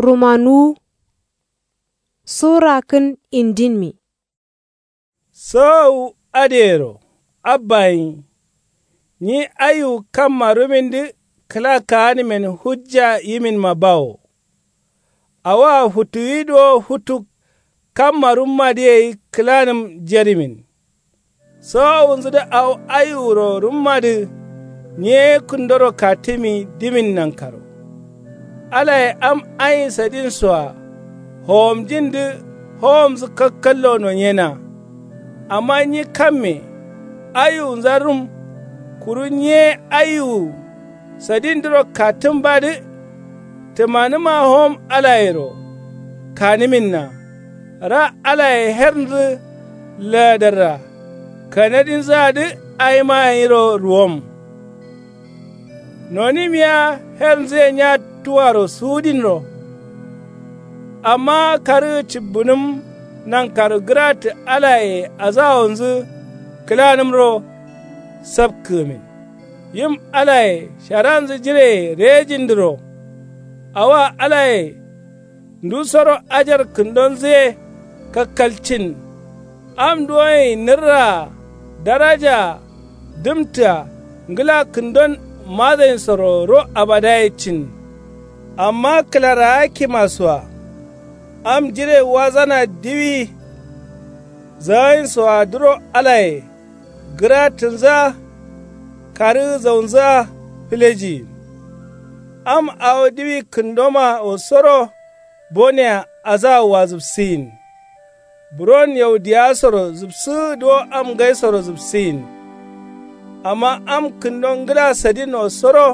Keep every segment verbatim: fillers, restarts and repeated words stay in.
Rumanuwu. Sura kǝn indinmi. Sowowu adǝyero abba gǝnyi. Nyi aiwu kamma rumindǝ kǝla kaanǝmen hujja yiminma bawo. Awoa futuwi duwo futu kamma rummadǝ gai kǝlanǝm jerimin. Sowowunzǝdǝ awo aiwuro rummadǝ nyi ye kǝndoro katǝmi dimin nankaro. Alaye am aiyin sadinsoa howomjindǝ howomzǝ kakkallo nonyena. Amma nyi kamme aiwunza rum kuru nyi ye aiwu sadindǝro katǝmbadǝ. Tǝmanǝma howom alayero kanǝminna. Ra alaye hernzǝ laadarra kanadinzǝadǝ awima gǝnyiro ruwom. Nonǝm yea hernzǝye nya tuwaro suwudinro. Amma karǝgǝ cibbǝnǝm nankaro gǝrattǝ alaye azawonzǝ kǝlanǝmro. Sapkǝgǝmin yim alaye sharanzǝ jireye rejindǝro. Awoa alaye ndusoro ajar kǝndonzǝye kakkalcin. Am duwonyi nǝrraa darajaa dǝmtǝa ngǝla kǝndon mazayinsoro ro abadaye cin. Amma kǝlaraakkimasoa am jire wazana diwi zawayinsoadǝro alaye gǝrattǝnzǝa karǝgǝ zaunzǝa filejiyin. Am awo diwi kǝndomawo soro bonea azawoa zǝpsǝyin. Buron yaudiyawasoro zǝpsǝgǝ duwo am ngaisoro zǝpsǝyin. Amma am kǝndo ngǝla sadinwo soro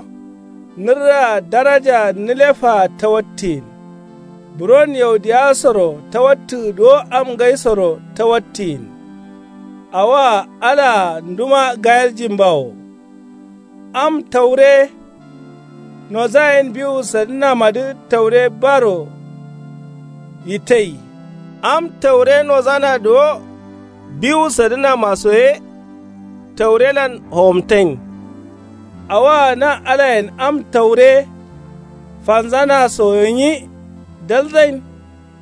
nǝrraa darajaa nǝlefaa tawattǝyin. Buron yaudiyawasoro tawattǝgǝ duwo am ngaisoro tawattǝyin. Awoa alaa nduma gayeljin bawo. Am taure nozayen biwu sadǝnamadǝ taure baro yitai. Am taure nozana duwo biwu sadǝnamaso ye taurelan howomtayin. Awoa na alayen am taure fanzanaso gǝnyi dalzain.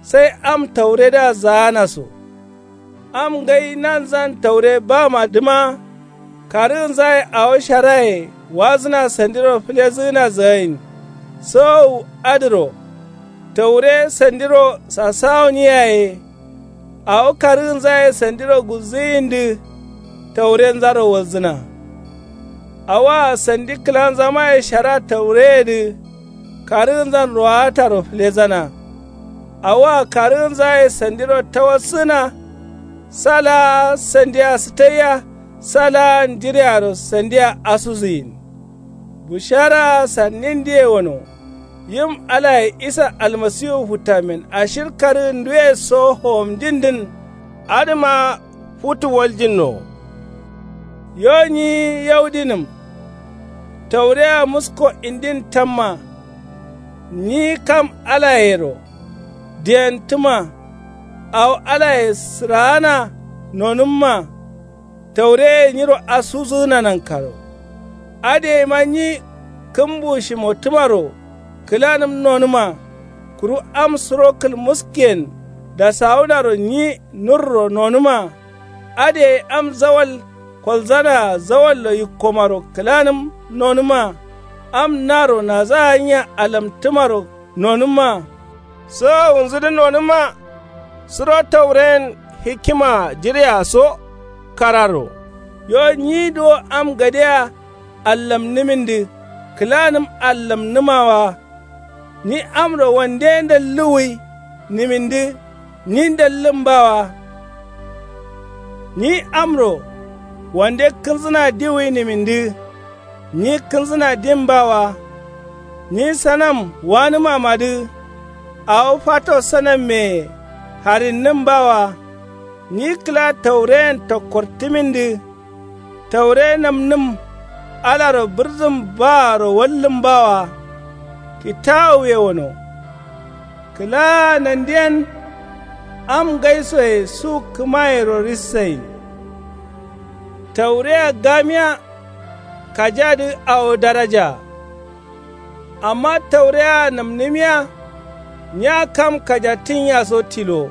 Sai am tauredǝa zaana so. Am ngai nanzan taure bamadǝma karǝgǝnzaye awo sharaye wazǝna sandiro fǝlezǝgǝna zagain. Sowowu adǝro taure sandiro sasawoniyaye awo karǝgǝnzaye sandiro gulzǝgǝyindǝ taurenzaro walzǝna. Awoa sandi kǝlanzamaye shara taureyedǝ karǝgǝnzan rowataro fǝlezana. Awoa karǝgǝnzaye sandiro tawassǝgǝna. Sa laa sandia sǝtaiya sa laa njirearo sandia asuzǝyin. Busharaa sandindǝye gano. Yim alaye isa almasiwu futtamen ashir karǝgǝnduwe so howomjindǝn. Adǝma futu waljinno. Yo nyi yaudinǝm taureya musko indin tamma. Nyi kam alayero diyentǝma. Awo alaye sǝraana nonǝmma. Taureye nyiro asuzǝgǝna nankaro. Adǝ gaima nyi kǝmbu shimotǝmaro kǝlanǝm nonǝma. Kuru am suro kǝlmuskiyen dasawunaro nyi nurro nonǝma. Adǝ gai am zawal kolzanaa zawallo yikkomaro kǝlanǝm nonǝma. Am naro naza gǝnya alamtǝmaro nonǝmma. Sowowunzǝdǝ nonǝma. Suro tauren hikima jireya so kararo. Yo nyi duwo am gadea allamnǝmindǝ kǝlanǝm allamnǝma wa. Nyi amro wande ndalluwwi nimindǝ nyi ndallǝm ba wa. Nyi amro wande kǝnzǝna diwwi nimindǝ nyi kǝnzǝna dim ba wa. Nyi sanam wanǝmamadǝ awo fato sanammeye harinnǝm ba wa. Nyi kǝla taureyen tokkortǝmindǝ taure namnǝm alaro bǝrzǝm baaro wallǝm ba wa. Kitawuye gano. Kǝlaa nandiyen am ngaisoye su kǝmayero rissayin. Taureya gamiya kajadǝ awo darajaa. Amma taureya namnǝmiya Nya kam kajattǝnyiya so tilo.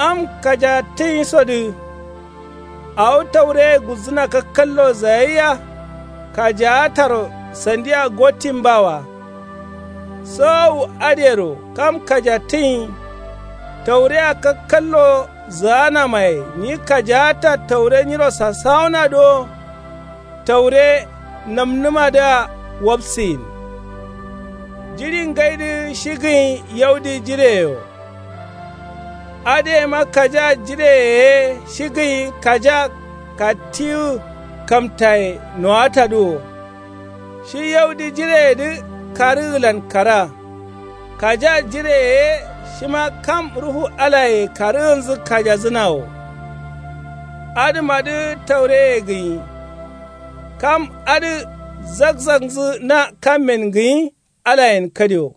Am kajattǝnyisodǝ awo taureye gulzǝna kakkallo zayaiya. Kajaataro sandiya gottin bawa. Sowowu adǝyero kam kajattǝnyi taureya kakkallo zǝganamaye nyi kajaatta taure nyiro sasawona duwo. Taure namnǝmadǝa wapsiyin. Jiɍi ngaidǝ shi gǝnyi yaudi jiɍeyewo. Adǝyema kajaa jiɍeye ye shi gǝnyi kajaa kattiwu kamtaye nowatadǝ wo. Shi yaudi jiɍeyedǝ karǝgǝlan kara. Kajaa jiɍeye ye shima kam ruhu alaye karǝgǝnzǝ kajadzǝna wo. Adǝmadǝ taureye gǝnyi. Kam adǝ zakzaknzǝ na kammen gǝnyi alayen kadiwo.